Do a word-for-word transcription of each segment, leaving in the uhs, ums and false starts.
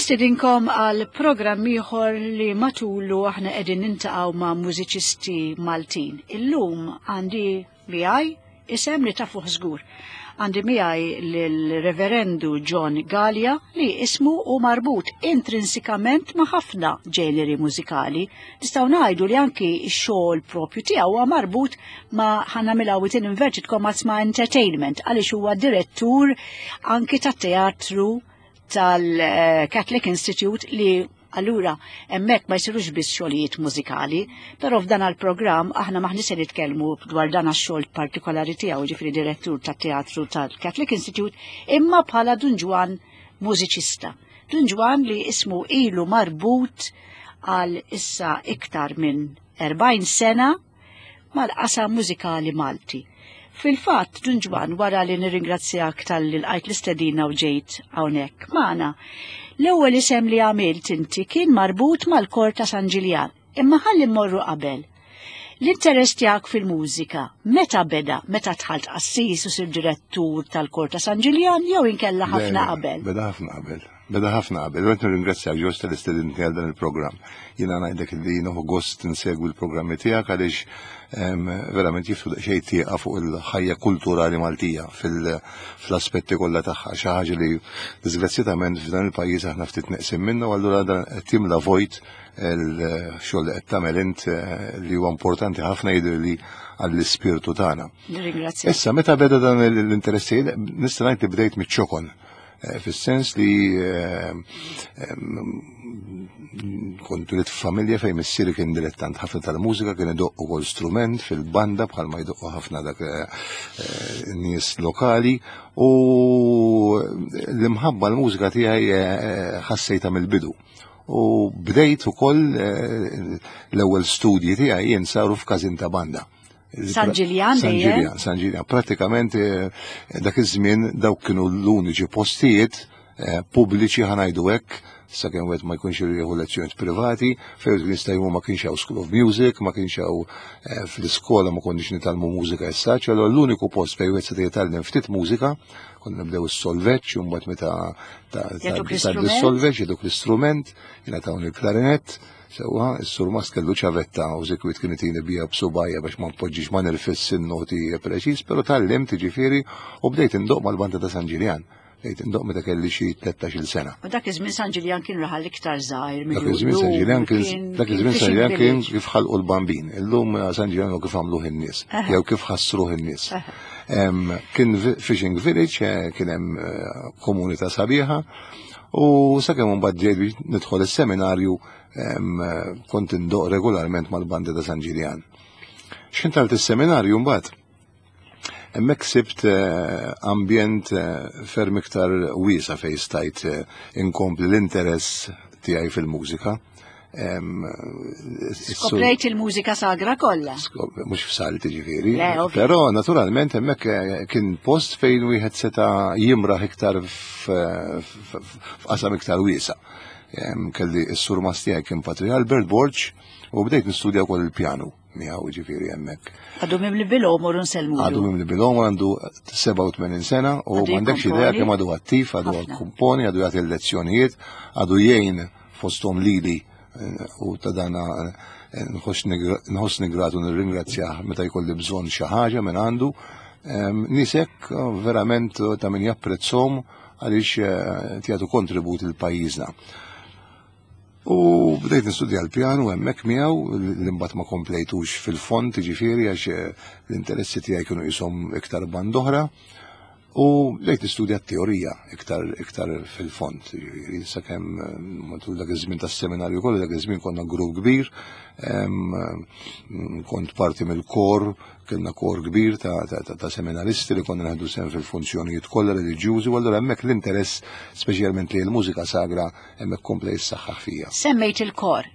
Nistedinkom għal programm ieħor li matulu aħna qegħdin niltaqgħu ma' mużiċisti Maltin. Illum għandi miegħi isem li tafuh żgur. Għandi miegħi l-Reverendu John Galea li ismu hu marbut intrinsikament ma' ħafna ġeneri mużikali. Nistgħu ngħidu li anki x-xogħol propju tiegħu huwa marbut ma' ħa nagħmilha within inverted commas ma' entertainment, għaliex huwa direttur anki tat-teatru tal-Catholic Institute, li allura hemmhekk ma jsirux biss xogħlijiet mużikali, però f'dan il-programm aħna m'aħniex se nitkellmu dwar dan għax-xogħol partikolari tiegħu, ġifieri direttur tat-teatru tal-Catholic Institute, imma bħala Dun Ġwann mużiċista. Dun Ġwann li ismu ilu marbut għal issa iktar minn erbgħin sena mal-qasam mużikali Malti. Fil-fatt, Dun Ġwann, wara li nirringrazzjak talli lqajt l-istedina u ġejt hawnhekk magħna, l-ewwel isem li għamilt inti kien marbut mal-kor ta' San Ġiljan. Imma ħalli mmorru qabel. L-interess tiegħek fil-mużika, meta beda? Meta dħalt qassis u sirt direttur tal-kor ta' San Ġiljan jew inkella ħafna qabel? Beda ħafna qabel. Beda ħafna qabel. Għedt nirringrazzjak ġost tal-istedinti għal dan il-programm. Jiena ngħidlek li nieħu gost insegwi l-programmi tiegħek għaliex verament jiftħu daqsxejn tieqa fuq il-ħajja kulturali Maltija fl-aspetti kollha tagħha. Xi ħaġa li disgrazzjatament f'dan il-pajjiż aħna ftit neqsin minnu, allura dan qed jimla vojt il-xogħol li qed tagħmel int, eh, li huwa importanti ħafna jidher li għall-ispirtu tagħna. Nirringrazzjak. Issa, meta beda dan l-interessi, nista' ngħid li bdejt miċ-ċokon. Eh, fis-sens li eh, kont twelidt f'familja fejn missieri kien dilettant ħafna tal-mużika, kien idoqq ukoll strument fil-banda bħalma jdoqqu ħafna dak eh, nies lokali, u l-imħabba l-mużika tiegħi ħassejta mill-bidu. U bdejt ukoll l-ewwel studji tiegħi jien saru f'każin ta' banda. San Ġiljan? San Ġiljan, San Ġiljan. Pratikament eh, dak iż-żmien dawk kienu l-uniċi postijiet eh, pubbliċi, ħa ngħidu hekk, sakemm wieħed ma jkunx jieħu lezzjonijiet privati, fejn kien jista' ma kienx hawn School of Music, ma kienx hawn eh, fl-iskola ma konniex nitgħallmu mużika issa, allura l-uniku post fejn wieħed seta' jitgħallem ftit mużika, konna nibdew is-solfeġġ, u mbagħad meta ta' is-solfeġġ jagħtuk l-istrument, jingħatawn il-klarinett. Sewwa, is-surmast kellu ċavetta u sikwit kien itini bija b'subgħajja biex ma npoġġix, ma nirfisx in-noti preċiż, però tgħallimt ġifieri u bdejt indoq mal-banda ta' San Ġiljan. Bdejt indoq meta kelli xi tlettax-il sena. U dak iż-żmien San Ġiljan kien raħal iktar żgħir. Dak iż-żmien San Ġiljan kien dak iż-żmien San Ġiljan kien kif ħalqu l-Bambin. Illum San Ġiljan kif għamluh in-nies, jew kif ħassruh in-nies. Kien fishing village, eh, kien hemm eh, komunità sabiħa, u sakemm mbagħad ġejt biex nidħol is-seminarju kont indoq regolarment mal-banda ta' San Ġiljan. X'ħin dħalt is-seminarju mbagħad, hemmhekk sibt eh, ambjent eh, ferm iktar wiesa' fejn stajt eh, inkompli l-interess tiegħi fil-mużika. Skoprejt il-mużika sagra kollha. Mhux f'salt ġifieri. Però naturalment hemmhekk kien post fejn wieħed seta' jimraħ iktar f'qasam iktar wiesa'. Kelli s-surmast tiegħi kien Patri Albert Borg u bdejt nistudja wkoll il-pjanu miegħu ġifieri hemmhekk. Għadu mimli bil-għomor, nsellmu. Għadu mimli bil-għomor, għandu sebgħa u tmenin sena u m'għandekx idea kemm għadu attiv, għadu komponi, għadu jagħti l-lezzjonijiet, għadu jgħin fosthom lili eh, u ta' dana eh, nħossni gratu, nirringrazzjah meta jkolli bżonn xi ħaġa minn għandu. Nisek verament ta' min japprezzhom għaliex eh, jagħtu kontribut lil pajjiżna. U bdejt nistudja l-pjanu hemmhekk miegħu, li mbagħad ma komplejtux fil-fond, ġifieri għax eh, l-interessi tiegħi kienu jisom iktar band'oħra. U bdejt nistudja t-teorija iktar iktar fil-fond, ġifieri sakemm eh, matul dak iż-żmien tas-seminarju kollu, dak iż-żmien konna grupp kbir, kont parti mill-kor, kellna kor kbir ta', ta, ta, ta seminaristi li konna nieħdu sehem fil-funzjonijiet kollha reliġjużi, u allura hemmhekk l-interess speċjalment li l-mużika sagra hemmhekk kompla jissaħħaħ fija. Semmejt il-kor.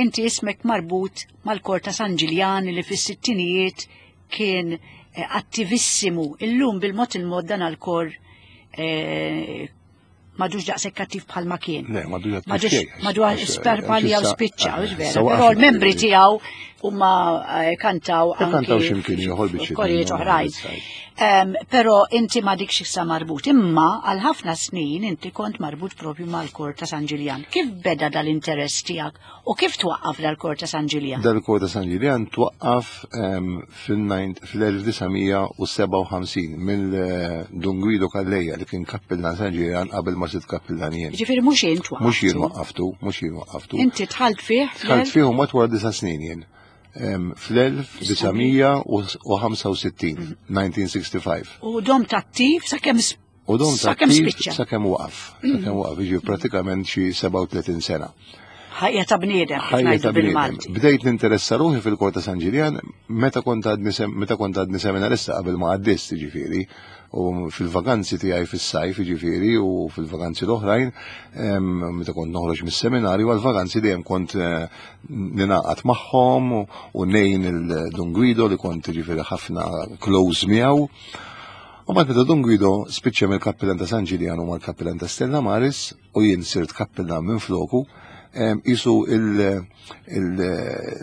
Inti ismek marbut mal-kor ta' San Ġiljan li fis-sittinijiet kien eh, attivissimu. Illum bil-mod il-mod dan għal-kor eh, M'għadux daqshekk attiv bħalma kien. Le, m'għadux attiv M'għadux xejn. M'għadux sperpalja u Għax issa- spiċċa, ah, hux vera. issa Però waqafna, l-membri ġifieri. tiegħu huma eh, kantaw anki Kantaw x'imkien ieħor biex korijiet oħrajn. Em, Però inti m'għadikx issa marbut, imma għal ħafna snin inti kont marbut propju mal-kor ta' San Ġiljan. Kif beda dal-interess tiegħek u kif twaqqaf dal-kor ta' San Ġiljan? Dal-kor ta' San Ġiljan twaqqaf em, fil-elf disa' mija u sebgħa u ħamsin mill-Dun Guido Calleja, li kien kappillan San Ġiljan qabel ma sirt kappillan jien. Ġifieri mhux jien twaqqaftu. Mhux jien waqqaftu, mhux jien waqqaftu. Inti dħalt fih? Dħalt fih u matwar disa' snin jien. Em, Fl-elf disa' mija u ħamsa u sittin, elf disa' mija u ħamsa u sittin. U domt attiv sakemm U dom sakemm attiv spiċċa. Sakemm waqaf. Sakemm waqaf, jiġi pratikament xi sebgħa u tletin sena. Ħajja ta' bniedem, kif Ħajja ngħidu ta' bniedem. bil-Malti. Bdejt ninteressa ruħi fil-kor ta' San Ġiljan meta kont għadni sem- meta kont għadni seminarista, qabel ma għaddist, ġifieri, u fil-vaganzi tiegħi fis-sajf, ġifieri, u fil-vaganzi l-oħrajn, em, meta kont noħroġ mis-seminarju għal-vaganzi, dejjem kont eh, ninaqat magħhom u- u ngħin il-Dun Guido, li kont ġifieri ħafna close miegħu. U mbagħad meta Dun Guido spiċċa mill-kappillan ta' San Ġiljan u mal-kappillan ta' Stella Maris u jien sirt kappillan minn floku, em, isu il- il-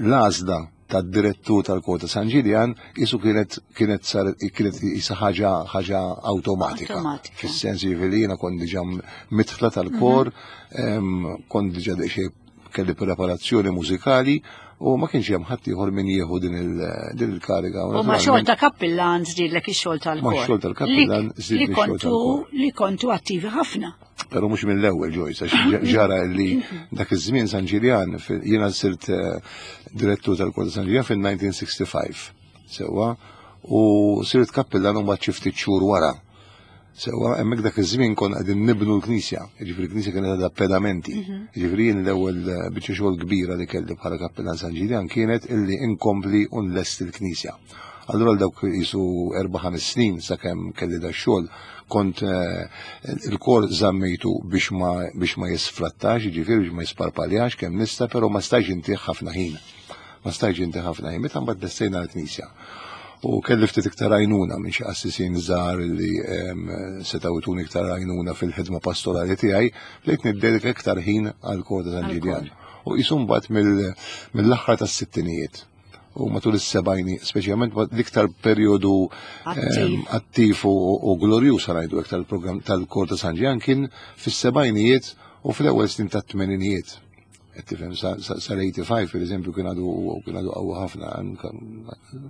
l-għażla tad-direttur tal-kor ta' San Ġiljan isu kienet kienet sar kienet isa ħaġa ħaġa awtomatika. Awtomatika. Fis-sens ġifieri jiena kont diġà mitħla tal-kor, em, kont diġà daqsxejn kelli preparazzjoni mużikali u ma kienx hemm ħadd ieħor min jieħu din il- din il-kariga. U ma' xogħol ta' kappillan żdidlek ix-xogħol tal-kor. Ma' xogħol tal-kappillan Li- żdidli li x-xogħol kontu tal-kor. Li kontu attivi ħafna. Pero mhux mill-ewwel, Joyce, għax ġara li dak iż-żmien San Ġiljan, fil- jiena sirt eh, direttur tal-kor ta' San Ġiljan fil-elf disa' mija u ħamsa u sittin. Sewwa, u sirt kappillan u mbagħad xi ftit xhur wara. Sewwa, hemmhekk dak iż-żmien kon qegħdin nibnu l-knisja, jiġifieri l-knisja kienet għadha pedamenti. Jiġifieri jien l-ewwel eh, biċċa xogħol kbira li kelli bħala kappillan San Ġiljan kienet illi inkompli u nlesti l-knisja. Allura l dawk jisu erba' ħames snin sakemm kelli da xogħol kont eh, il-kor żammejtu biex ma biex ma jisfrattax, jiġifieri biex ma jisparpaljax kemm nista', però ma stajx intih ħafna ħin. Ma stajx intih ħafna ħin. Meta mbagħad lestejna l-knisja u kelli ftit iktar għajnuna minn xi qassisin żgħar li em, setgħu jtuni iktar għajnuna fil-ħidma pastorali tiegħi, bdejt niddedika iktar ħin għal kor ta' San Ġiljan. U jisu mbagħad mill- mill-aħħar tas-sittinijiet u matul is-sebgħini, speċjalment l-iktar perjodu Attiv. em, attiv u, u glorjuż, ngħidu iktar, il-programm tal-kor ta' San Ġiljan kien fis-sebgħinijiet u fl-ewwel snin tat-tmeninijiet. Qed tifhem, sa- sa- sal-ħamsa u tmenin per eżempju kien għadu kien għadu qawwi ħafna,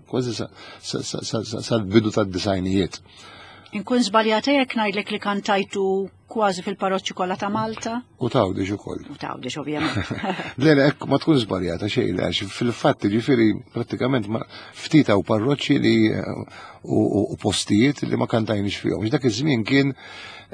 kważi sa- sa- sa- sa- sa- sal-bidu tad-disgħinijiet. Inkun żbaljata jekk ngħidlek li kantajtu kważi fil-parroċċi kollha ta' Malta? U t'Għawdex ukoll. U t'Għawdex, ovvjament. Le, le, ekk ma tkun żbaljata xejn, għax fil-fatt ġifieri prattikament ma ftit hawn parroċċi li eh, u, u, u postijiet li ma kantajniex fihom. Għax dak iż-żmien kien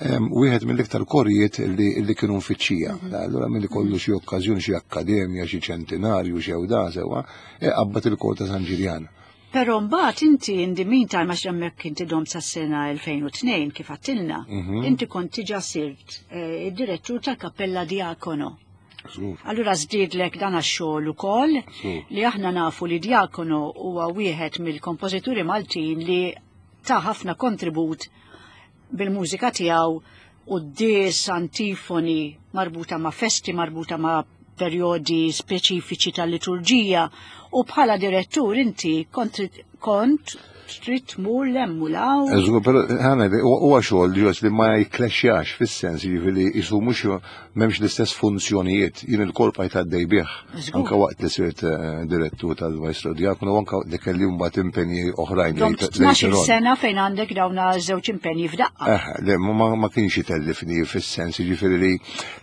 em, wieħed mill-iktar korijiet li, li kienu mfittxija. Allura milli kollu xi okkażjoni, xi akkademja, xi ċentinarju, xi da sewwa, e qabbat il-kor ta' San Ġiljan. Però mbagħad inti in the meantime, għax hemmhekk inti dom sas-sena elfejn u tnejn kif għattilna, inti kont diġà sirt eh, id-direttur tal-Kappella Diacono. Żgur. Allura żdiedlek dan għax-xogħol ukoll Żgur. li aħna nafu li Diacono huwa wieħed mill-kompożituri Maltin li ta' ħafna kontribut bil-mużika tiegħu u d-dis antifoni marbuta ma' festi, marbuta ma' perjodi speċifiċi tal-liturġija, u bħala direttur inti kont kont trid tmur 'l hemm u 'l hawn. Żgur, però ħana huwa xogħol ġos li ma jikklexxjax, fis-sens jiġifieri isu mhux m'hemmx l-istess funzjonijiet. Jien il-kor bqajt għaddej bih. Żgur. Anka waqt li sirt eh, direttur tal-Maestro Diacono u anka li kelli mbagħad impenji oħrajn Domt lejt- tnax-il later on. sena fejn għandek dawna żewġ impenji f'daqqa. Eh, le, ma, ma- ma kienx itellifni, fis-sens jiġifieri li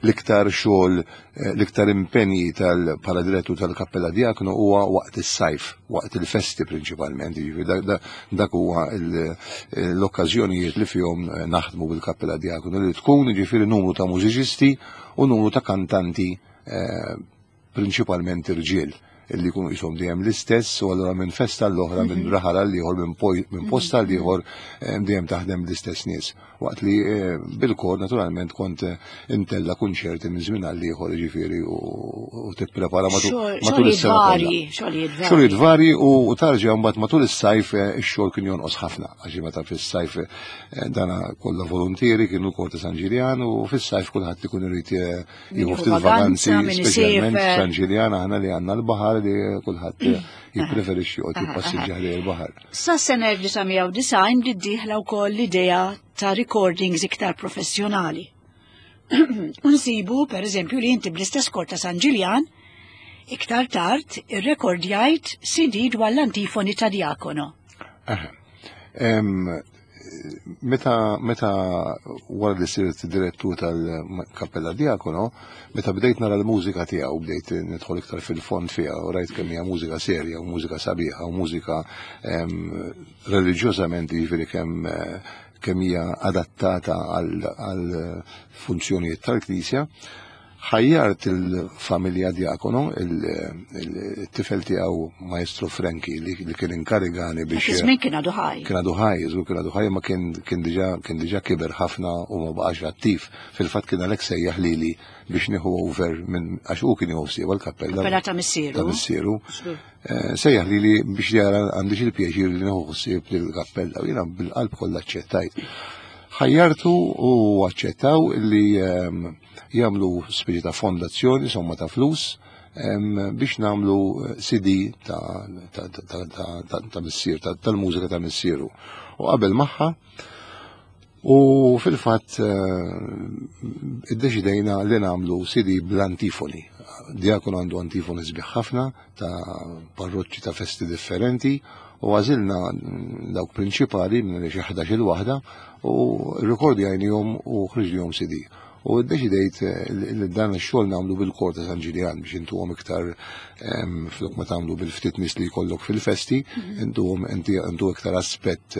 l-iktar xogħol, eh, l-iktar impenji tal bħala direttur tal-Kappella Diacono huwa waqt is-sajf, waqt il-festi prinċipalment, jiġifieri dak- dak- dak huwa il- l-okkażjonijiet li fihom eh, naħdmu bil-Kappella Diacono, li tkun jiġifieri numru ta' mużiċisti u numru ta' kantanti, eh, prinċipalment irġiel, li jkunu qishom dejjem l-istess, u allura minn festa l-oħra, minn raħal għal ieħor, minn posta għal ieħor dejjem taħdem l-istess nies. Waqt li bil-kor naturalment kont intella kunċerti minn żmien għal ieħor, jiġifieri, u tipprepara matul is-sena kollha. Xogħlijiet varji u tarġa' mbagħad matul is-sajf ix-xogħol kien jonqos ħafna, għax meta fis-sajf dana kollha volontieri kienu l-kor ta' San Ġiljan, u fis-sajf kulħadd ikun irid jieħu ftit vaganzi, speċjalment San Ġiljan aħna li għandna l-baħar li kulħadd jippreferixxi joqgħod jippassiġġa ħdejn il-baħar. Sa sena elf disa' mija u disgħin bdiet dieħla wkoll l-idea ta' recordings iktar professjonali. Unsibu, per eżempju, li inti bl-istess kor ta' San Ġiljan, iktar tard irrekordjajt C D dwar l-antifoni ta' Diacono. Meta meta wara li sirt direttur tal-Kappella Diacono, meta bdejt nara l-mużika tiegħu, bdejt nidħol iktar fil-fond fiha u rajt kemm hija mużika serja u mużika sabiħa u mużika reliġjożament, jiġifieri kemm kemm hija adattata għal funzjonijiet tal-Knisja, ħajjart il-familja Diacono, il-tifel tiegħu Maestro Franki li kien inkarigani biex. Iż-żmien kien għadu ħaj. Kien għadu ħaj, żgur kien għadu ħaj, ma kien diġà kien diġà kiber ħafna u ma baqax attiv. Fil-fatt kien għalhekk sejjaħ lili biex nieħu over minn għax hu kien jieħu ħsieb għall-kappella. Kappella ta' missieru. Ta' missieru. Sejjaħ lili biex jara għandix il-pjaċir li nieħu ħsieb lill-kappella u jiena bil-qalb kollha aċċettajt. Ħajjartu u aċċettaw li jagħmlu speċi ta' fondazzjoni, somma ta' flus, biex nagħmlu C D ta' missier, tal-mużika ta' missieru. U qabel magħha, u fil-fatt iddeċidejna li nagħmlu C D bl-antifoni. Diacono għandu antifoni sbieħ ħafna ta' parroċċi ta' festi differenti, u għażilna dawk prinċipali minn xi ħdax-il waħda u rrekordjajnihom u ħriġnihom C D. U ddeċidejt li dan ix-xogħol nagħmlu bil-kor ta' San Ġiljan biex intuhom iktar flok ma tagħmlu bil-ftit nies li jkollok fil-festi, intuhom intu iktar aspett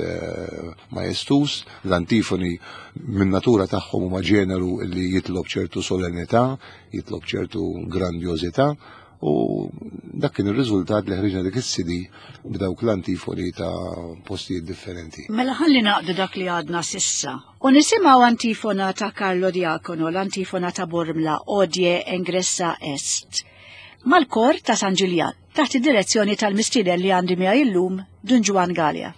majestus. L-antifoni minn natura tagħhom huma ġeneru li jitlob ċertu solennità, jitlob ċertu grandjożità, u dak kien ir-riżultat li ħriġna dik is-C D b'dawk l-antifoni ta' postijiet differenti. Mela ħalli naqdu dak li għadna sissa u nisimgħu antifona ta' Carlo Diacono, l-antifona ta' Bormla, Odie Engressa Est, mal-kor ta' San Ġiljan, taħt id-direzzjoni tal-mistieden li għandi miegħi llum, Dun Ġwann Galea.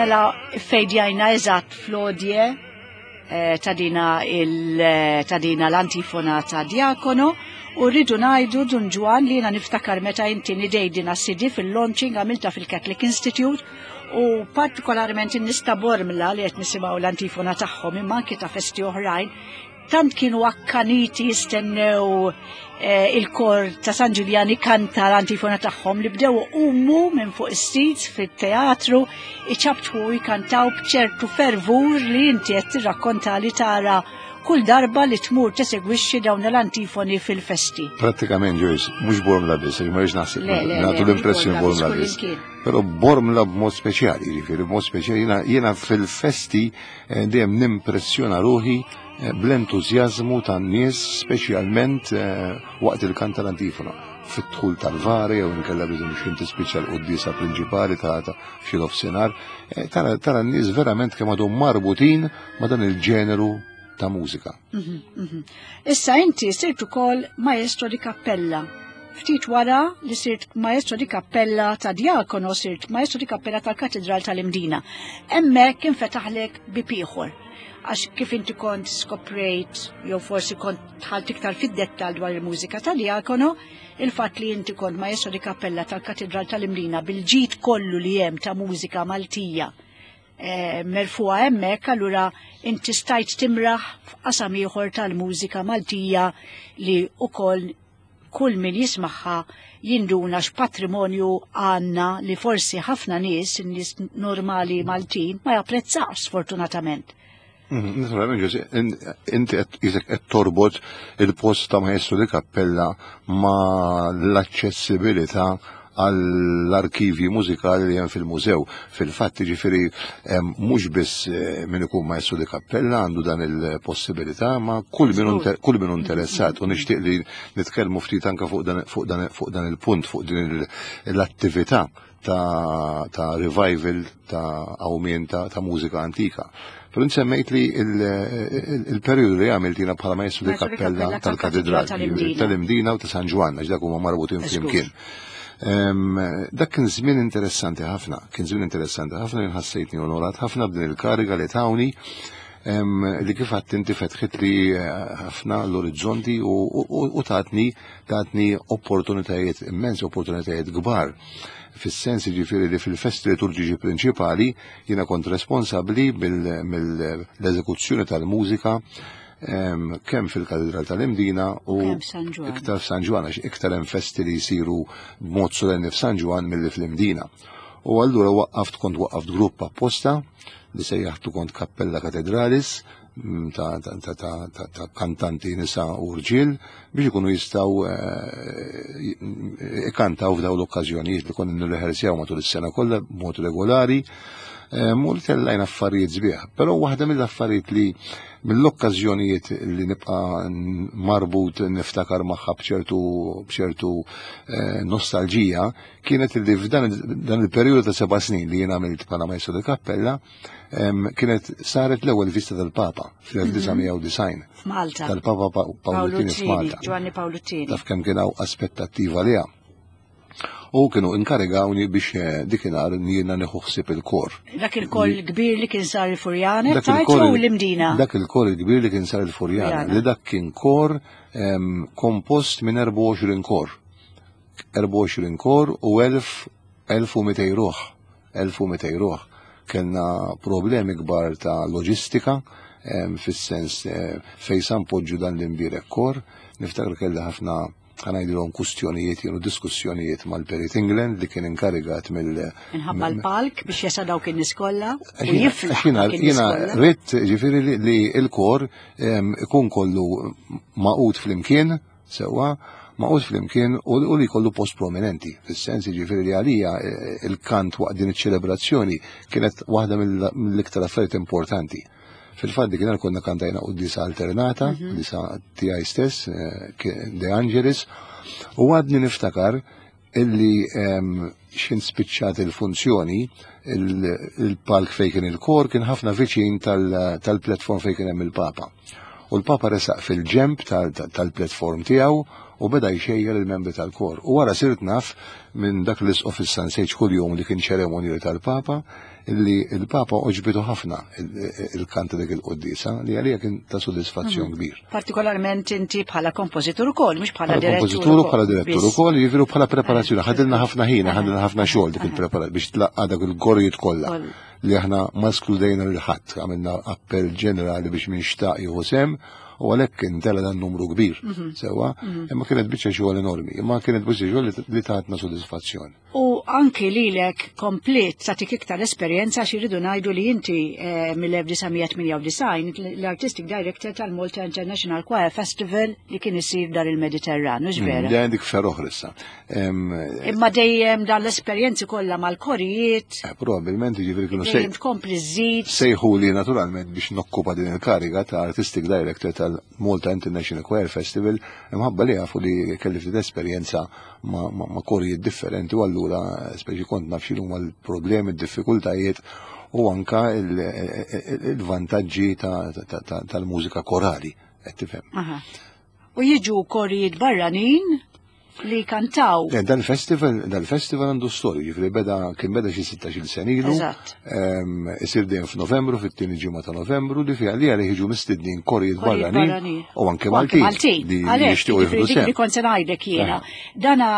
Mela fejdjajna eżatt flodje eh, ta' dina il- eh, ta' dina l-antifona ta' Diacono u rridu ngħidu, Dun Ġwann, li jiena niftakar meta inti nidejt dina C D fil-launching għamilta fil-Catholic Institute u partikolarment in-nies ta' Bormla li qed nisimgħu l-antifona tagħhom, imma anki ta' festi oħrajn, tant kienu akkaniti jistennew eh, il-kor ta' San Ġiljan ikanta l-antifona tagħhom li bdew iqumu minn fuq is-seats fit-teatru, iċapċpu, jkantaw b'ċertu fervur li inti qed tirrakkonta li tara kull darba li tmur tesegwixxi dawn l-antifoni fil-festi. Prattikament, Joyce, mhux Bormla biss, ma rridx naħseb Le, le, nagħtu le, l-impressjoni mhux Bormla Bormla biss. biss, kull Però Bormla b'mod speċjali, jiġifieri b'mod speċjali jiena jiena fil-festi eh, dejjem nimpressjona ruħi eh, bl-entużjażmu tan-nies, speċjalment eh, waqt il-kant tal-antifona, fit-dħul tal-vari jew inkella biżum x'inti tispiċċa l-quddiesa prinċipali ta' ta' f'xi nofsinhar, eh, tara tara n-nies verament kemm għadhom marbutin ma' dan il-ġeneru ta' mużika. Mhm, mhm. Issa inti sirt ukoll maestro di cappella. Ftit wara li sirt maestro di cappella ta' Diacono, sirt maestro di cappella tal-Katedral tal-Imdina. Hemmhekk infetaħlek bieb ieħor. Għax kif inti kont skoprejt, jew forsi kont dħalt iktar fid-dettal dwar il-mużika ta' Diacono, il-fatt li inti kont maestro di cappella tal-Katedral tal-Imdina bil-ġid kollu li hemm ta' mużika Maltija eh, merfuha hemmhekk, allura inti stajt timraħ f'qasam ieħor tal-mużika Maltija li ukoll kull min jismagħha jinduna x'patrimonju għandna li forsi ħafna nies, nies normali Maltin, ma japprezzax sfortunatament. Mhm, Naturalment, Ġosi, inti qed isek qed torbot il-post ta' maestro di cappella ma' l-aċċessibilità għall-arkivji mużikali li hemm fil-mużew. Fil-fatt, ġifieri, mhux biss eh, min ikun maestro di cappella għandu dan il-possibilità, ma kull min Żgur. kull min interessat, u nixtieq li nitkellmu ftit anke fuq dan fuq dan fuq dan il-punt, fuq din il- l-attività ta', ta' revival, ta' qawmien ta', ta' mużika antika. Però semmejt li il-periodu li għamilt jiena bħala maestro di Maestro di cappella cappella tal-katedral tal-Imdina. Tal-Imdina u ta' San Ġwann, għax dak huma marbutin Żgur. flimkien. Em, Dak kien żmien interessanti ħafna, kien żmien interessanti ħafna li ħassejtni onorat ħafna b'din il-kariga li tawni em, li kif għedt inti fetħit li eh, ħafna l-orizzonti u, u, u tatni tatni opportunitajiet immensi, opportunitajiet kbar. Fis-sens ġifieri li fil-festi liturġiċi prinċipali jiena kont responsabbli mill-eżekuzzjoni tal-mużika em, kemm fil-Katedral tal-Imdina u Kemm San Ġwann. iktar f'San Ġwann, għax iktar hemm festi li jsiru b'mod solenni f'San Ġwann milli fl-Imdina. U allura waqqaft kont waqqaft grupp apposta li sejjaħtu kont Cappella Cathedralis mm, ta', ta, ta, ta, ta, ta kantanti nisa u rġiel biex ikunu jistgħu eh, ikantaw f'daw l-okkażjonijiet li konna nirrehearsjaw matul is-sena kollha b'mod regolari. U li tellajna affarijiet sbieħ. Però waħda mill-affarijiet li mill-okkażjonijiet li nibqa' marbut niftakar magħha b'ċertu b'ċertu eh, nostalġija kienet li f'dan dan il-perjodu ta' seba' snin li jien għamilt bħala maestro di cappella em, kienet saret l-ewwel vista tal-Papa fl-elf disa' mija u disgħin. F'Malta. Tal-Papa Pa- Paolo Tieni f'Malta. Giovanni Paolo Tieni. Taf kemm kien hawn aspettattiva liha. U kienu inkarigawni biex eh, dikinhar jiena nieħu ħsieb il-kor. Dak il-kor il-kbir li kien sar il-Furjana, Dak tajt il-kor u l-Imdina. Dak il-kor il-kbir li kien sar il-Furjana, Furjana. li dak kien kor em, kompost minn erbgħa u għoxrin kor. erbgħa u għoxrin kor u elf elf u mitejn ruħ. elf u mitejn ruħ. Kellna problemi kbar ta' loġistika, em, fis-sens eh, fej sa npoġġu dan l-imbierek kor. Niftakar kelli ħafna, ħa ngħidilhom, kustjonijiet jew diskussjonijiet mal-Perit England li kien inkarigat mill- Minħabba l-palk biex jesa dawk in-nies kollha u Għax jiena- jiflaħ għax jiena dawk in-nies jiena kollha. ridt ġifieri li, li il-kor em, ikun kollu magħqud flimkien, sewwa, magħqud flimkien u, u li kollu post prominenti. Fis-sens ġifieri li għalija eh, il-kant waqt din iċ-ċelebrazzjoni kienet waħda mill- mill-iktar affarijiet importanti. Fil-fatt dik konna kantajna quddiesa alternata, quddiesa tiegħi stess, eh, ki- De Angelis, u għadni niftakar illi em, xin spiċċat il-funzjoni, il- il-palk fej kien il-kor kien ħafna viċin tal- tal-platform fej kien hemm il-Papa. U l-Papa resaq fil-ġemp tal- tal-platform tiegħu. u beda jxejjer il-membri tal-kor. U wara sirt naf minn dak l-isqof is-Sansejġ kuljum li kien ċeremonju tal-Papa, illi il-Papa għoġbitu ħafna il-kant dik il-qoddisa, li għalija kien ta' soddisfazzjon kbir. Partikolarment inti bħala kompożitur ukoll, mhux bħala direttur. Kompożitur u bħala direttur ukoll, jiġifieri bħala preparazzjoni. Ħadilna ħafna ħin, ħadilna ħafna xogħol dik il-preparazzjoni biex tlaqqa dak il-korijiet kollha li aħna ma skludejna lil ħadd, għamilna appell ġenerali biex min xtaq jieħu sehem, u għalhekk intela dan numru kbir. Sewa, imma kienet biċċa xogħol enormi, imma kienet biċċa xogħol li tatna sodisfazzjon. U anki lilek komplet tatik iktar esperjenza, xi rridu ngħidu li inti eh, mill-elf disa' mija tmienja u disgħin l-Artistic Director tal-Malta International Choir Festival li kien isir dar il-Mediterran, mhux vera? Li għandek ferroħ issa. Imma dejjem dan l-esperjenzi kollha mal-korijiet. Eh, probabilment jiġifieri kienu dejjem tkompli żżid. Sejħu li naturalment biex nokkupa din il-kariga ta' Artistic Director tal-Malta International Choir Festival, imħabba li jafu li kelli ftit esperjenza ma', ma, ma korijiet differenti, u allura speċi kont naf x'inhuma l-problemi, d-diffikultajiet u anka il-vantaġġi tal-mużika korali, qed tifhem. U jiġu korijiet barranin li kantaw. Dan-festival, dal-festival għandu storja, ġifieri beda, kien beda xi sittax-il sena ilu. Isir dejjem f'Novembru, fit-tieni ġimgħa ta' Novembru, li fiha li għalih jiġu mistednin korijiet barranin u anke Maltin li jixtiequ jieħdu sehem. Li kont se ngħidlek jiena. Dana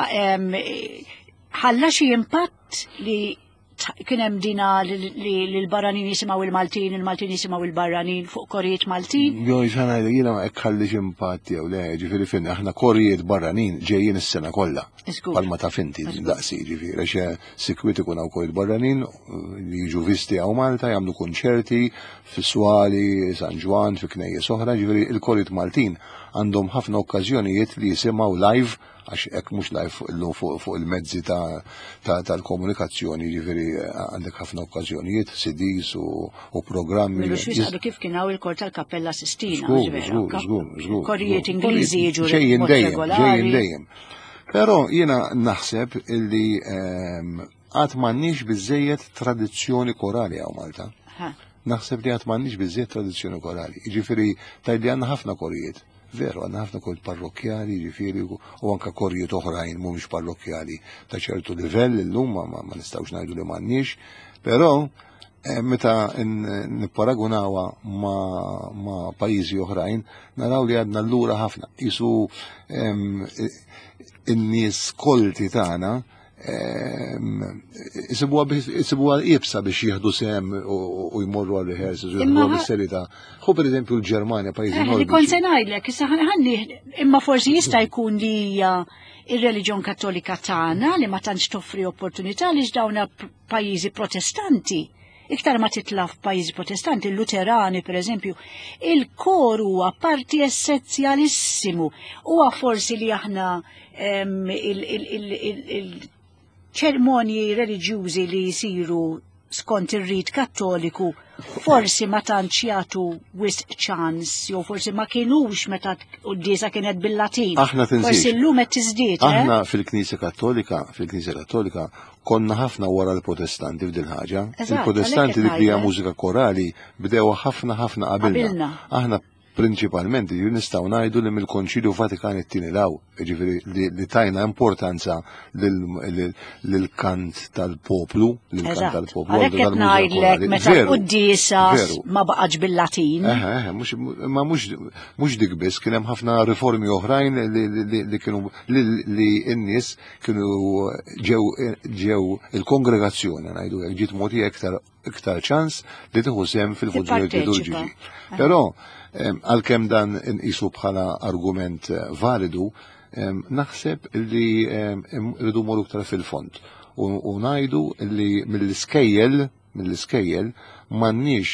ħalla xi impatt li kien hemm dina li l-barranin jisimgħu il-Maltin, il-Maltin jisimgħu il-barranin fuq korijiet Maltin? Jo, xana jiena ma ħallix impatt jew le, ġifieri fin aħna korijiet barranin ġejjin is-sena kollha. Palma ta' finti daqsi, ġifieri xe sikwit ikun hawn korijiet barranin li jiġu visti hawn Malta, jagħmlu konċerti fi Swali, San Ġwann, fi knejjes oħra, ġifieri il-korijiet Maltin għandhom ħafna okkażjonijiet li jisimgħu live, għax hekk mhux live illum fuq il-mezzi tal-komunikazzjoni, ġifieri għandek ħafna okkażjonijiet, C Ds u programmi. Milu xwis kif kien hawn il-kor tal-Kappella Sistina. Żgur, żgur, żgur. Korijiet Ingliżi jiġu ġejjin dejjem, ġejjin dejjem. Però jiena naħseb illi għad m'għandniex biżejjed tradizzjoni korali hawn Malta. Naħseb li għad m'għandniex biżejjed tradizzjoni korali. Ġifieri tgħidli għandna ħafna korijiet. Veru, għandna ħafna korijiet parrokkjali, ġifieri, u anka korijiet oħrajn mhumiex parrokkjali ta' ċertu livell illum ma, ma nistgħux ngħidu li m'għandniex, però eh, meta nipparagunawha ma, ma pajjiżi oħrajn, naraw li għadna lura ħafna. Isu in-nies kolti tagħna isibuha iebsa biex jieħdu sehem u jmorru għal rehearsals u jieħdu bis-serjetà. Ħu per eżempju l-Ġermanja, pajjiżi nordiċi. Kont se ngħidlek, issa ħalli, imma forsi jista' jkun li hija ir-reliġjon Kattolika tagħna li ma tantx toffri opportunità li dawna pajjiżi Protestanti. Iktar ma titla f'pajjiżi Protestanti, il-Luterani per eżempju, il-kor huwa parti essenzjalissimu. Huwa forsi li aħna il-ċermonji reliġjużi li jisiru skont ir-rit Kattoliku forsi ma tantx jagħtu wisq ċans, jew forsi ma kienux meta quddiesa kienet bil-Latin. Aħna tinsiex. Forsi llum qed tiżdied. Eh? Aħna fil-Knisja Kattolika, fil-Knisja Kattolika konna ħafna wara l-Protestanti f'dil ħaġa. Il-Protestanti dik li hija mużika korali bdew ħafna ħafna qabilna. Aħna prinċipalment nistgħu ngħidu li mill-Konċilju Vatikan it-tieni law, ġifieri li tajna importanza lil-kant tal-poplu, lil-kant tal-poplu. Għalhekk qed ngħidlek meta quddiesa ma baqgħetx bil-Latin. Ma mhux dik biss, kien hemm ħafna riformi oħrajn li kienu li n-nies kienu ġew ġew il-kongregazzjoni, ngħidu hekk, ġiet mogħtija iktar iktar ċans li tieħu sehem fil-funzjonijiet liturġiċi. Però għalkemm dan nqisu bħala argument eh, validu, naħseb li rridu morru iktar fil-fond u ngħidu li mill-iskejjel mill-iskejjel m'għandniex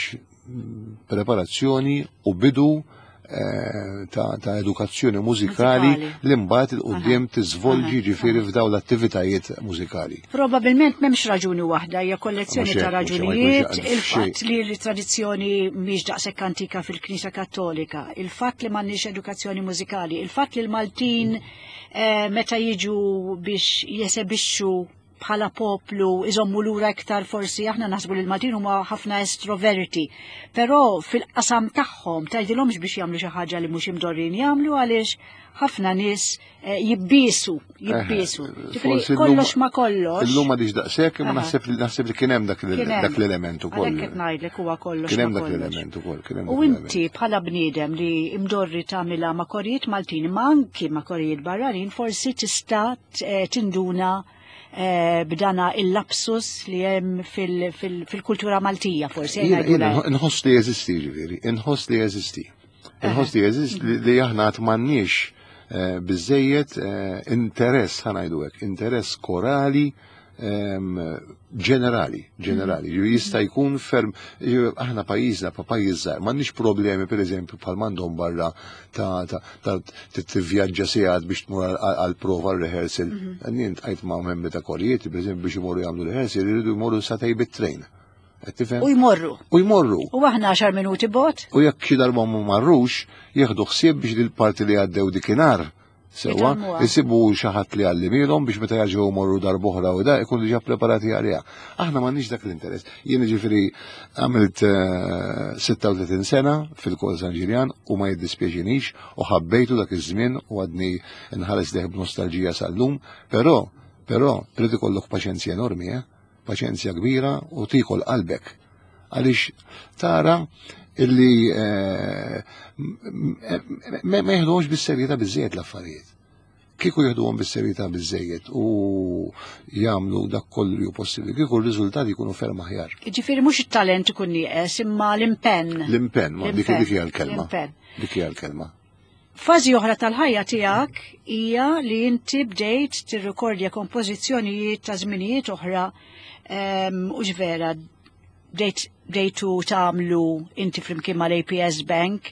preparazzjoni u bidu eh, ta', ta edukazzjoni mużikali li mbagħad 'il quddiem tiżvolġi ġifieri f'dawn l-attivitajiet mużikali. Probabilment m'hemmx raġuni waħda, hija kollezzjoni ta' raġunijiet, il-fatt li l-tradizzjoni mhix daqshekk antika fil-Knisja Kattolika, il-fatt li m'għandniex edukazzjoni mużikali, il-fatt li l-Maltin eh, meta jiġu biex jesebixxu bħala poplu iżommu lura iktar, forsi aħna naħsbu li l-Maltin huma ħafna estroverti, però fil-qasam tagħhom tgħidilhomx biex jagħmlu xi ħaġa li mhux imdorrin jagħmlu, għaliex ħafna nies eh, jibbisu, jibbisu. Ġifieri kollox ma kollox. Illum ma daqshekk, imma naħseb naħseb li kien hemm dak l-element ukoll. Għalhekk qed ngħidlek huwa kollox. Kien hemm dak l-element ukoll. U inti bħala bniedem li imdorri tagħmilha ma' korijiet Maltin, ma anki ma' korijiet barranin, forsi tista' eh, tinduna eh, b'dana il-lapsus li hemm fil-kultura Maltija forsi. Nħoss li jeżisti, ġifieri, inħoss li jeżisti. Inħoss li jeżisti li aħna għad m'għandniex eh, biżejjed interess, ħa ngħidu hekk, interess korali ġenerali, ġenerali. Jista' jkun ferm, aħna pajjiżna pa pajjiż żgħar, m'għandniex problemi, pereżempju, bħal m'għandhom barra ta' ta' tivvjaġġa sigħat biex tmur għal prova, rehearsal. Jien għajt ma' membri ta' korijiet, pereżempju, biex imorru jagħmlu rehearsal jridu jmorru sagħtejn bit-train. U jmorru. U jmorru. U aħna għaxar minuti bot. U jekk xi darba ma marrux, jieħdu ħsieb biex il-parti li għaddew dikinhar sewa, jisibu xi ħadd li għallimilhom biex meta jaġgħu morru darb'oħra u da ikunu diġà preparati għaliha. Aħna m'għandniex dak l-interess. Jien ġifieri għamilt sitta u tletin sena fil-Kor San Ġiljan u ma jiddispjaċinix u ħabbejtu dak iż-żmien u għadni nħares lejh b'nostalġija sal-lum, però però trid ikollok paċenzja enormi, eh? Paċenzja kbira u tikol qalbek. Għaliex tara illi eh, ma jeħduhomx bis-serjetà biżejjed l-affarijiet. Kieku jeħduhom bis-serjetà biżejjed u jagħmlu dak kollu li hu possibbli, kieku r-riżultati jkunu ferm aħjar. Ġifieri mhux it-talent ikun nieqes, imma l-impenn. L-impenn, ma dik dik hija l-kelma. Dik hija l-kelma. Fażi oħra tal-ħajja tiegħek hija li inti bdejt tirrekordja kompożizzjonijiet ta' żminijiet oħra, u ġvera bdejt bdejtu tagħmlu inti flimkien mal-A P S Bank,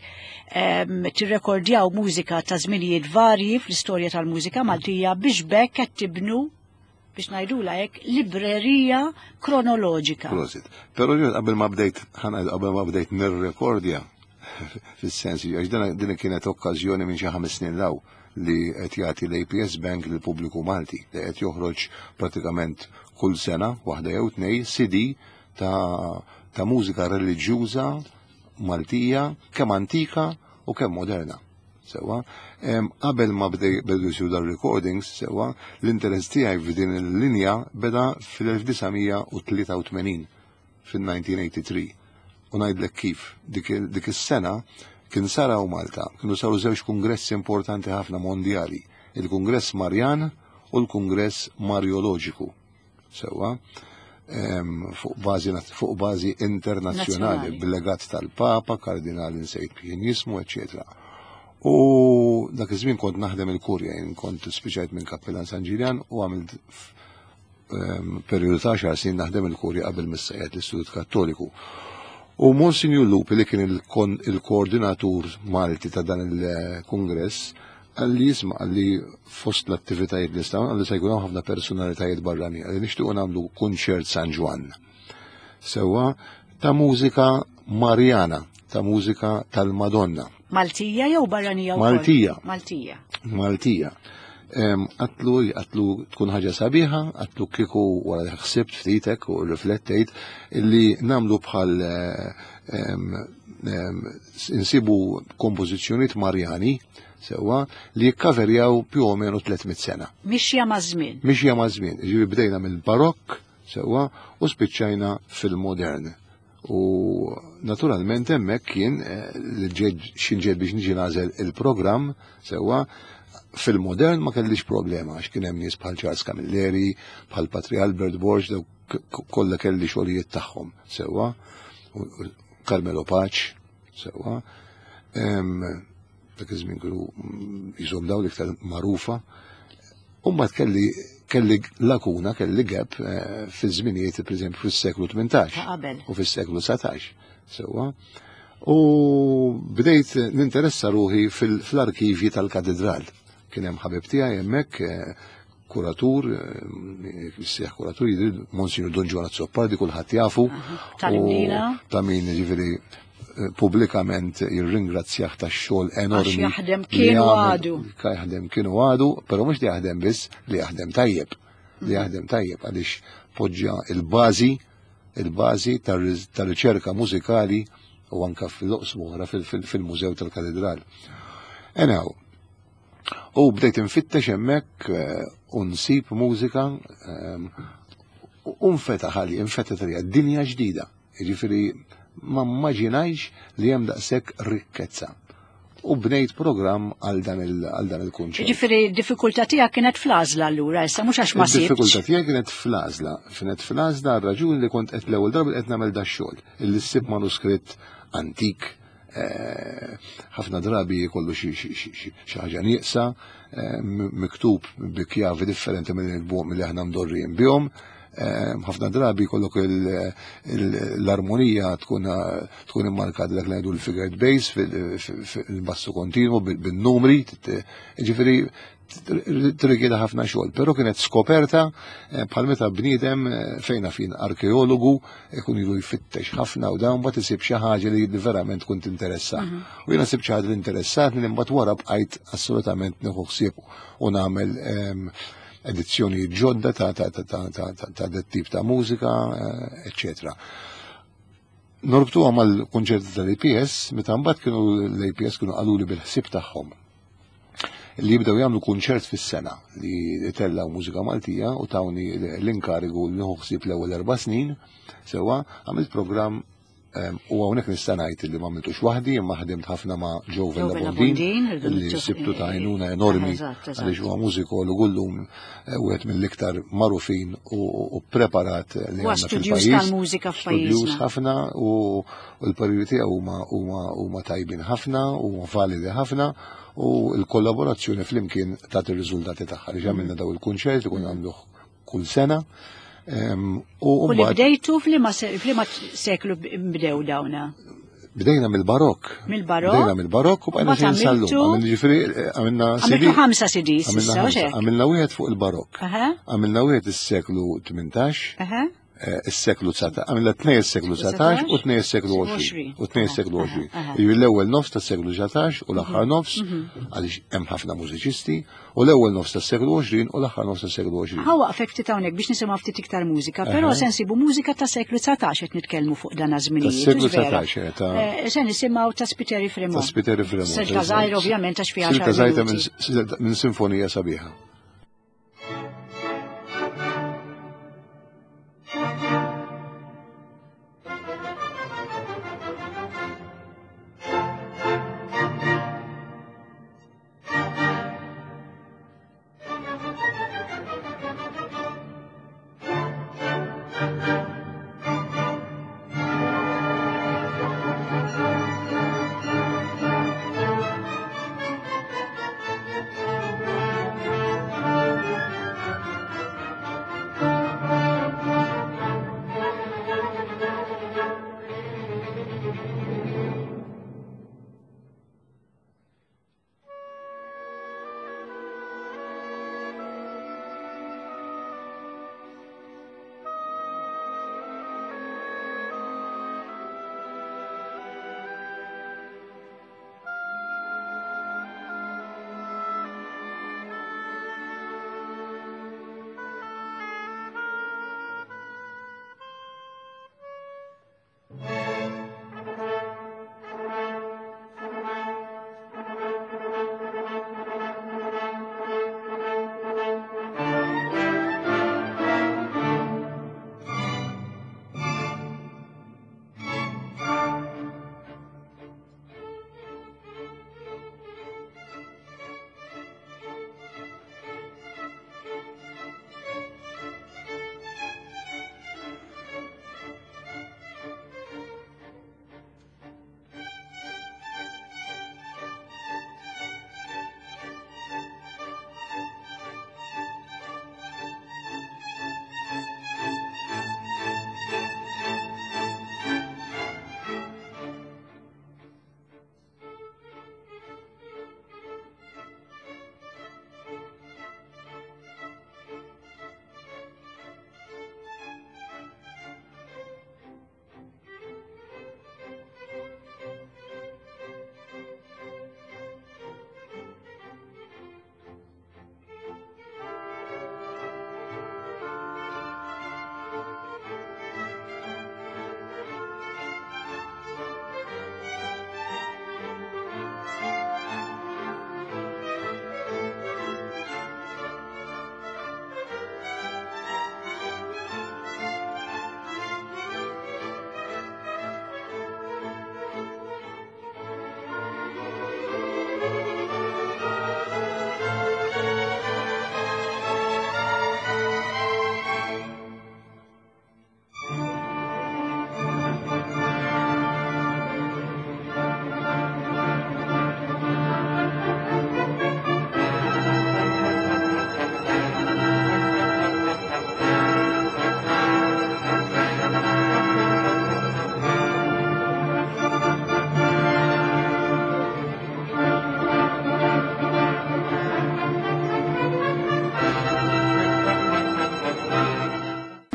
tirrekordjaw mużika ta' żminijiet varji fl-istorja tal-mużika Maltija biex bekk qed tibnu, biex ngħidula hekk, librerija kronoloġika. Prosit. Però ġo qabel ma bdejt qabel ma bdejt nirrekordja fis-sens, għax din kienet okkażjoni minn xi ħames snin law li qed jagħti l-A P S Bank lill pubbliku Malti, li qed joħroġ pratikament kull sena waħda jew tnej C D ta' ta' mużika reliġjuża Maltija, kemm antika u kemm moderna. Sewa, qabel ma bdew jsiru dar recordings, sewa, l-interess tiegħi f'din il-linja beda fil-elf disa' mija u tlieta u tmenin, fil-elf disa' mija u tlieta u tmenin. U ngħidlek kif, dik is-sena kien sara u Malta, kienu saru żewġ kongressi importanti ħafna mondjali, il-Kongress Marjan u l-Kongress Marjoloġiku. Sewa, fuq bażi fuq bażi internazzjonali, bil-legat tal-Papa, kardinali nsejt kien jismu, eccetera. U dak iż-żmien kont naħdem il-kurja, jien kont spiċajt minn Kappellan San Ġiljan u għamilt periodu ta' għaxar snin naħdem il-kurja qabel missajat l-Istitut Kattoliku. U Monsignor Lupi, li kien il-koordinatur Malti ta' dan il-kongress, qalli, "Isma'," qalli, "fost l-attivitajiet li staw," qalli, "se jkun ħafna personalitajiet barrani, qalli, nixtiequ nagħmlu kunċert San Ġwann. Sewa, ta' mużika Marjana, ta' mużika tal-Madonna." Maltija jew barranija? Maltija. Maltija. Maltija. Għedtlu, għedtlu tkun ħaġa sabiħa, għedtlu kieku wara li ħsibt ftitek u riflettejt illi nagħmlu bħal insibu kompożizzjonijiet Marjani, sewa, li jikkaverjaw più o meno tliet mitt sena. Mixja ma' żmien. Mixja ma' żmien. Ġifieri bdejna mill-barokk, sewa, u spiċċajna fil-modern. U naturalment hemmhekk kien eh, li xinġed biex niġi nagħżel il-programm, sewa, fil-modern ma kellix problema għax kien hemm nies bħal Charles Camilleri, bħal Patri Albert Borg, daw kollha kelli xogħlijiet tagħhom, sewwa, Carmelo Pace, sewwa. Dak iż-żmien kienu jisom daw l-iktar magħrufa. U mbagħad kelli kelli lakuna, kelli gap eh, fi żminijiet, pereżempju, fis-seklu tmintax u fis-seklu dsatax. Sewwa. U bdejt ninteressa ruħi fil-arkivji tal-katedral. Kien hemm ħabib tiegħi hemmhekk, eh, kuratur, eh, sieħ kuratur, jidri Monsignor Don Giovanni Azzopardi, kulħadd jafu. Ta' min ġifieri eh, pubblikament jirringrazzjah tax-xogħol enormi. Jaħdem kienu għadu. Jaħdem kienu għadu, però mhux li jaħdem biss, li jaħdem tajjeb. li jaħdem tajjeb għaliex poġġa il-bażi il-bażi tar-riċerka mużikali u anka fil-oqsma oħra fil-Mużew tal-Katedral. Anyhow, u bdejt infittex hemmhekk u nsib mużika u nfetaħ għali, infetaħ għalija dinja ġdida. Jiġifieri ma mmaġinajx li hemm daqshekk rikkezza. U bnejt programm għal dan il-kunċert. Ġifieri d-diffikultà tiegħek kienet fl-għażla allura, issa mhux għax ma sibtx. Id-diffikultà tiegħek kienet fl-għażla, kienet fl-għażla għar-raġuni li kont qed l-ewwel darba qed nagħmel dax-xogħol, illi ssib manuskritt antik, ħafna drabi jkollu xi ħaġa nieqsa, miktub bi kjavi differenti mill-li aħna mdorrijin bihom. Ħafna drabi jkollok l-armonija tkun tkun immarkata dak li ngħidu l-figured bass fil-bassu kontinwu bin-numri, ġifieri tirrikjeda ħafna xogħol, però kienet skoperta bħal meta bniedem fejna fin arkeologu ikun ilu jfittex ħafna u dawn mbagħad isib xi ħaġa li verament tkun tinteressa. U jiena sibt xi ħaġa li interessatni li mbagħad wara bqajt assolutament nieħu ħsieb u nagħmel edizzjoni ġodda ta' ta' ta' ta' ta' dat tip ta' mużika, eccetera. Norbtuha mal-kunċerti tal-A P S, meta mbagħad kienu l-A P S kienu qaluli bil-ħsieb tagħhom li jibdew jagħmlu kunċert fis-sena li tellaw mużika Maltija u tawni l-inkarigu li nieħu ħsieb l-ewwel erba' snin, sewwa għamilt programm u hawnhekk nista' ngħid li ma għamiltux waħdi, imma ħdimt ħafna ma' Joe Vella Bondin, li sibtu ta' għajnuna enormi għaliex huwa mużikologu llum wieħed mill-iktar magħrufin u preparat li għandna fil-pajjiż. Tal-mużika f'pajjiżna. Studjuż ħafna u l-pariri tiegħu huma huma tajbin ħafna u validi ħafna u l-kollaborazzjoni flimkien tagħti r-riżultati tagħha li għamilna daw il-kunċert li konna nagħmluh kull sena. U li bdejtu f'liema seklu bdew dawna? Bdejna mill-Barokk. Mill-Barokk? Bdejna mill-Barokk u bqajna sejrin sal-lum. Għamilna ġifieri għamilna Għamiltu ħamsa C Ds issa, u xek? Għamilna wieħed fuq il-Barokk. Għamilna wieħed is-seklu tmintax, is-seklu dsatax, għamilna tnejn is-seklu dsatax u tnejn is-seklu għoxrin. U tnejn is-seklu għoxrin. Jiġifieri l-ewwel nofs tas-seklu dsatax u l-aħħar nofs, għaliex hemm ħafna mużiċisti, u l-ewwel nofs tas-seklu għoxrin u l-aħħar nofs tas-seklu għoxrin. Ħa waqfek ftit hawnhekk biex nisimgħu ftit iktar mużika, però se nsibu mużika ta' seklu dsatax qed nitkellmu fuq dan iż-żminijiet. Tas-seklu dsatax, ta' Se nisimgħu ta' Spiteri Fremont. Ta' Spiteri Fremont. Silta żgħir ovvjament għax fiha Silta żgħira minn sinfonija sabiħa. Thank you.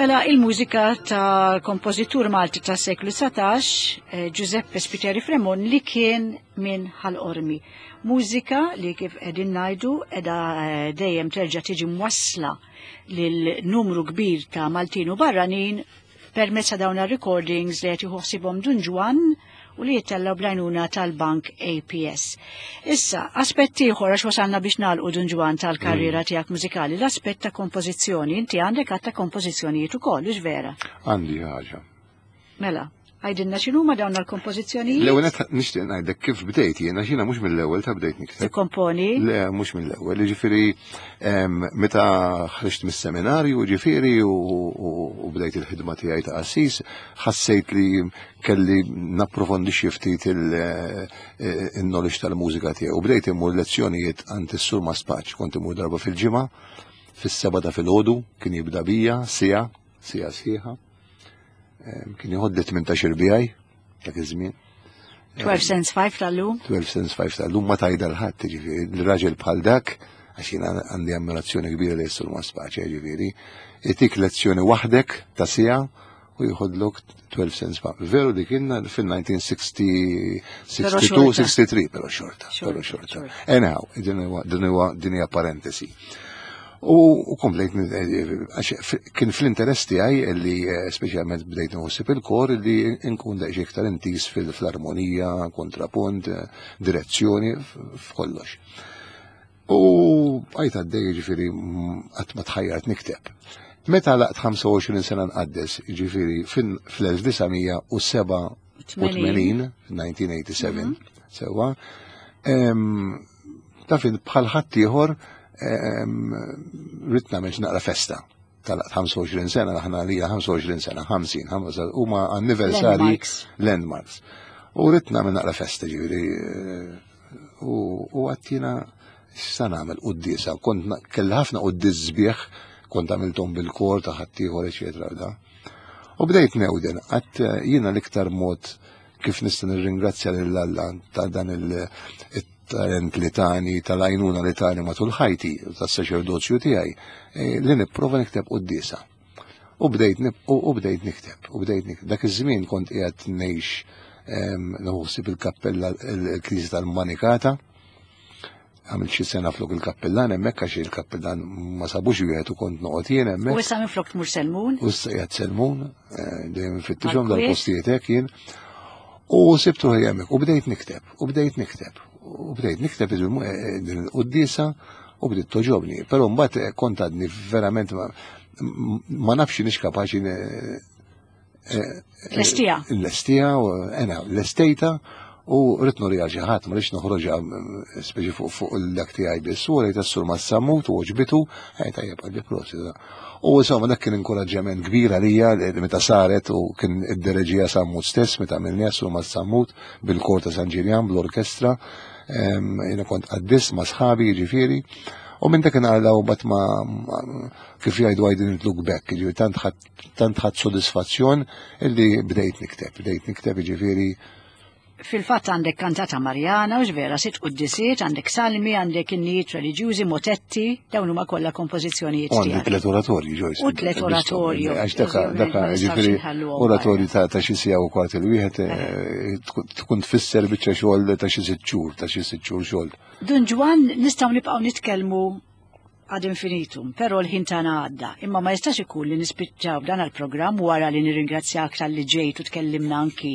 Mela il-mużika tal-kompożitur Malti tas-seklu dsatax, eh, Giuseppe Spiteri Fremon, li kien minn Ħal Qormi. Mużika li kif qegħdin ngħidu qiegħda eh, dejjem terġa' tiġi mwassla lil numru kbir ta' Maltin u barranin permezz ta' dawn recordings li qed jieħu ħsiebhom Dun Ġwann u li jittellgħu bl-għajnuna tal-Bank A P S. Issa, aspett ieħor, għax wasalna biex nagħlqu, Dun Ġwann, tal-karriera tiegħek mużikali, l-aspett ta' kompożizzjoni. Inti għandek għadd ta' kompożizzjonijiet ukoll, hux vera? Għandi ħaġa. Mela, għidilna x'inhuma dawn l-kompożizzjonijiet? L-ewwel nett nixtieq ngħidlek kif bdejt jiena, xina mhux mill-ewwel ta' bdejt nikteb. Tikkomponi? Le, mhux mill-ewwel, ġifieri em, meta ħriġt mis-seminarju, ġifieri u, u, u bdejt il-ħidma tiegħi ta' qassis, ħassejt li kelli napprofondixxi ftit il-knowledge tal-mużika tiegħi. U bdejt immur lezzjonijiet għand is-Sur Maspaċ, kont imur darba fil-ġimgħa, fis-seba ta' filgħodu, kien jibda bija, siegħa, siegħa sħiħa. Em, Kien joħodli tmintax-il bijaj, dak iż-żmien. twelve cents five tal-lum? twelve cents five tal-lum, ma tgħidha 'l ħadd, ġifieri, il-raġel bħal dak, għax jiena għandi ammirazzjoni kbira li jessur ma spaċi, ġifieri, itik lezzjoni waħdek ta' siegħa u jħodlok twelve cents five. Veru dik kienna fil-elf disa' mija u sitta u sittin, Però xorta. tlieta u sittin, pero xorta, Xorta, pero xorta. Xorta. Anyhow, din huwa- din huwa din hija parentesi. U, u komplejt, eh, għax f- kien fl-interess tiegħi li eh, speċjalment bdejt nħossib il-kor li nkun daqsxejn iktar intis fil-armonija, kontrapunt, eh, direzzjoni, f- f'kollox. U bqajt għaddej, ġifieri mm, qatt ma tħajjart nikteb. Meta għalaqt ħamsa u għoxrin sena nqaddes, ġifieri fl-elf disa' mija u sebgħa u tmenin, elf disa' mija u sebgħa u tmenin, sewa, em, taf int, bħal ħaddieħor ridt nagħmel naqra festa. Tal ħamsa u għoxrin sena, aħna li ħamsa u għoxrin sena, ħamsin, huma anniversari Landmarks. Landmarks. U ridt nagħmel naqra festa, ġifieri, eh, u u għedtina x'sa nagħmel quddiesa, kont na- kelli ħafna quddies sbieħ, kont għamilthom bil-kor ta' ħaddieħor, eċetera da. U bdejt newden, għedt eh, jiena l-iktar mod kif nista' nirringrazzja lil Alla ta' dan il-talent li tani, tal-għajnuna li tani matul ħajti, tas-saċerdozju tiegħi, eh, li nipprova nikteb quddiesa. U bdejt nib- u u bdejt nikteb, u bdejt nikteb. Dak iż-żmien kont qiegħed ngħix em, naħseb il-kappella il-knisja tal-Manikata, għamilt xi sena flok il-kappellan hemmhekk għax il-kappellan ma sabux wieħed u kont noqgħod jien U hemmhekk. issa minn flok tmur Selmun? U issa qiegħed Selmun, eh, dejjem nfittixhom Għal-kwiet. dal-postijiet hekk jien. U sibtu hemmhekk u bdejt nikteb, u bdejt nikteb, u bdejt nikteb il- eh, din il-quddiesa u bdiet togħġobni. Però mbagħad eh, kont għadni verament ma, ma nafx nix kapaċi ne- Lestija. L-estija, u ena, l-estejta u rrid nuriha xi ħadd, ma rridx noħroġha mm, speċi fuq fuq l-dak tiegħi biss, u rejt s-sur Massamut u għoġbitu, ej tajjeb, qalli prosit. U insomma dak kien inkoraġġament kbir għalija li meta saret u kien id-dereġija Sammut stess meta għamilniha sur Massamut bil-kor ta' San Ġiljan bl-orkestra, em, jiena kont qaddis ma' sħabi, ġifieri. U minn dak naqla u bat ma ma- kif jgħidu, I didn't look back, ġifieri tant ħadd tant ħadd sodisfazzjon illi bdejt nikteb, bdejt nikteb, ġifieri. Fil-fatt għandek kantata Marjana, u vera, sitt quddisiet, għandek salmi, għandek innijiet reliġjużi, motetti, dawn huma kollha kompożizzjonijiet U għandi tiegħek. tlet oratorji, Joyce. U tlet oratorju. Għax daka, Ovvjament, daka, ma nistgħux ġifieri, inħalluhom oratorju ta' ta' xi siegħa u kwart il-wieħed eh, tkun- tkun tfisser biċċa xogħol ta' xi sitt xhur, ta' xi sitt xhur xogħol. Dun Ġwann, nistgħu nibqgħu nitkellmu ad infinitum, però l-ħin tagħna għadda. Imma ma jistax ikun li nispiċċaw dan il-programm wara li nirringrazzjak talli ġejt u tkellimna anki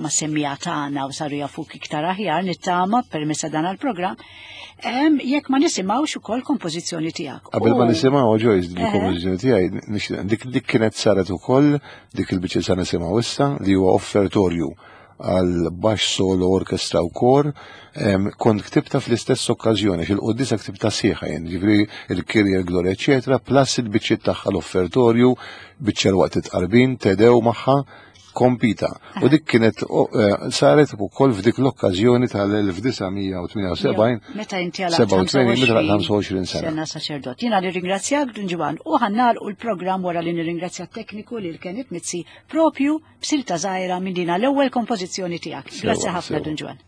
ma' semmiegħa tagħna u saru jafuk iktar aħjar, nittama, permezz ta' dan il-programm, em, jekk ma nisimgħux ukoll kompożizzjoni tiegħek. Qabel ma U- nisimgħu, Joyce, Eħe. il-kompożizzjoni tiegħi, nixtieq- dik dik kienet saret ukoll dik il-biċċa sa nisimgħu issa li huwa offertorju għal baxx solo, orkestra u kor, em, kont ktibta fl-istess okkażjoni, fil-qoddisa ktibta sħiħa jien, ġifieri il-Kirja, il-Gloria, eċetera, plus il-biċċiet tagħha, l-offertorju, biċċa l-waqt it-tqarbin, Te Deum magħha, kompita. U dik kienet o, eh, saret ukoll f'dik l-okkażjoni tal-elf disa' mija u tmienja u sebgħin, Meta inti għal sebgħa u tmenin, meta ħamsa u għoxrin sena. Sena saċerdot. Jiena nirringrazzjak, Dun Ġwann, u ħa nagħlqu l-programm wara li nirringrazzja t-tekniku lil Kenneth Mizzi propju b'silta żgħira minn dina l-ewwel kompożizzjoni tiegħek. Sewa, Grazzi ħafna, sewa. Dun Ġwann.